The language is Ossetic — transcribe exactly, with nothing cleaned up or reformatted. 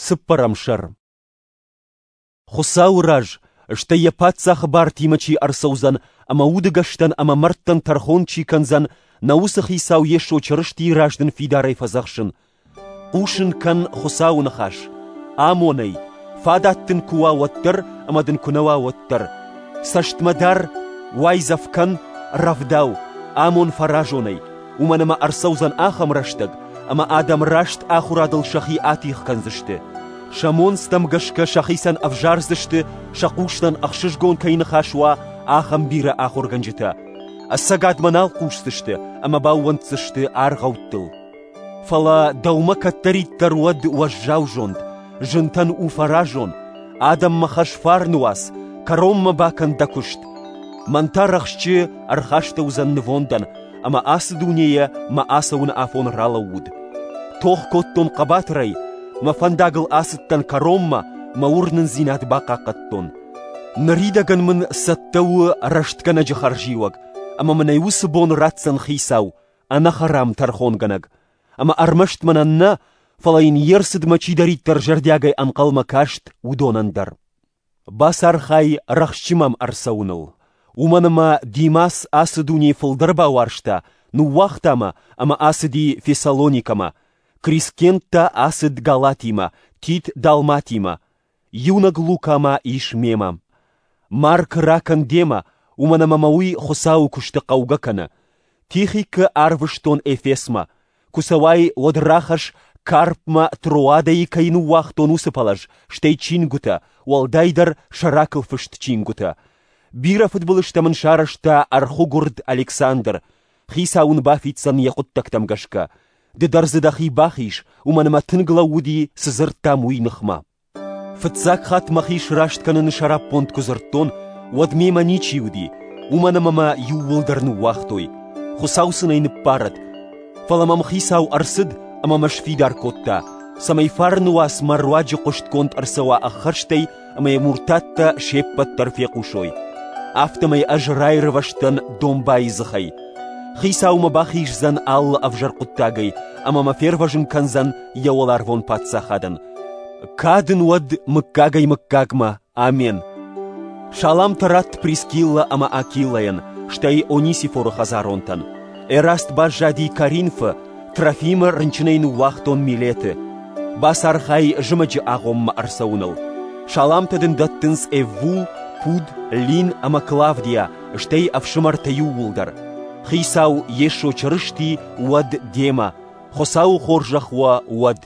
Цыппӕрӕм сӕр. Хуыцауы раз, стӕй йӕ паддзахы бартимӕ чи ӕрцӕудзӕн ӕмӕ удыгӕстӕн ӕмӕ мӕрдтӕн тӕрхон чи кӕндзӕн, нӕ уыцы Хицау Йесо Чырыстийы раз дын фидарӕй фӕдзӕхсын. Хъусын кӕн Хуыцауы ныхас, амон ӕй, фадат дын куы уа, уӕддӕр ӕмӕ дын куы нӕ уа, уӕддӕр. Цӕстмӕ дар, уайдзӕф кӕн, рӕвдау, амон фӕразонӕй, уымӕн ӕмӕ ӕрцӕудзӕн ахӕм рӕстӕг, ӕмӕ адӕм раст ахуырадыл сӕхи атигъ кӕндзысты. Сӕ монцтӕм гӕсгӕ сӕхицӕн ӕвзардзысты, сӕ хъустӕн ӕхсызгон кӕй ныхас уа, ахӕм бирӕ ахуыргӕнджытӕ. Ӕцӕгадмӕ нал хъусдзысты ӕмӕ баууӕнддзысты аргъӕуттыл. Фӕлӕ дӕумӕ кӕддӕриддӕр уӕд уӕззау зонд, зынтӕн у фӕразон, адӕммӕ хӕс фарны уац, кӕронмӕ бакӕн дӕ куыст. Мӕн та рӕхджы ӕрхастӕуыдзӕн нывондӕн, ӕмӕ ацы дунейӕ мӕ ацӕуыны афон ралӕууыд. Тох кодтон хъӕбатырӕй, мӕ фӕндагыл ацыдтӕн кӕронмӕ, мӕ уырнындзинад бахъахъхъӕдтон. Ныридӕгӕн мын цӕттӕ у рӕстгӕнӕджы хӕрзиуӕг, ӕмӕ мын ӕй уыцы бон ратдзӕн Хицау, ӕнӕхӕрам тӕрхонгӕнӕг. Ӕмӕ ӕрмӕст мӕнӕн нӕ, фӕлӕ йын йе рцыдмӕ чидӕриддӕр зӕрдиагӕй ӕнхъӕлмӕ каст, уыдонӕн дӕр. Бацархай рӕхджы мӕм ӕрцӕуыныл, уымӕн ӕмӕ Димас ацы дунейы фылдӕр бауарзта, ныууагъта мӕ ӕмӕ ацыди Фессалоникӕмӕ, Крискент та ацыд Галатимӕ, Тит Далматимӕ. Иунӕг Лука ма ис мемӕ. Марк ракӕн демӕ, уымӕн ӕмӕ мӕ уый Хуыцауы куысты хъӕугӕ кӕны. Тихикы арвыстон Эфесмӕ. Куы цӕуай, уӕд рахӕсс, Карпмӕ Троадӕйы кӕй ныууагътон, уыцы пӕлӕз, стӕй чингуытӕ, уӕлдайдӕр сӕракыл фыст чингуытӕ. Бирӕ фыдбылызтӕ мын сарӕзта ӕрхуыгуырд Александр. Хицау ын бафиддзӕн йӕ хъуыддӕгтӕм гӕсгӕ. Ды дӕр дзы дӕхи бахиз, уымӕн ӕмӕ тынг лӕууыди, цы дзырдтам, уый ныхмӕ. Фыццаг хатт мӕхи сраст кӕныны сӕраппонд куы дзырдтон, уӕд мемӕ ничи уыди, уымӕн ӕмӕ мӕ иууылдӕр ныууагътой. Хуыцау сын ӕй ныббарӕд. Фӕлӕ мӕм Хицау ӕрцыд ӕмӕ мӕ сфидар кодта, цӕмӕй фарны уац мӕ руаджы хъуыстгонд ӕрцӕуа ӕххӕстӕй ӕмӕ йӕ муртаттӕ се ппӕт дӕр фехъусой. Афтӕмӕй ӕз раирвӕзтӕн домбайы дзыхӕй. Хицау мӕ бахиздзӕн алы ӕвзӕр хъуыддагӕй ӕмӕ мӕ фервӕзын кӕндзӕн йӕ уӕларвон паддзахадӕн. Кад ын уӕд мыггагӕй-мыггагмӕ. Амен. Саламтӕ ратт Прискиллӕ ӕмӕ Акилӕйӕн, стӕй Онисифоры хӕдзаронтӕн. Эраст баззади Коринфы, Трофимы рынчынӕй ныууагътон Милеты. Бацархай зымӕджы агъоммӕ ӕрцӕуыныл. Саламтӕ дын дӕттынц Эввул, Пуд, Лин ӕмӕ Клавдия, стӕй ӕфсымӕртӕ иууылдӕр. Хицау Йесо Чырысти уӕд демӕ, Хуыцауы хорзӕх уӕ уӕд.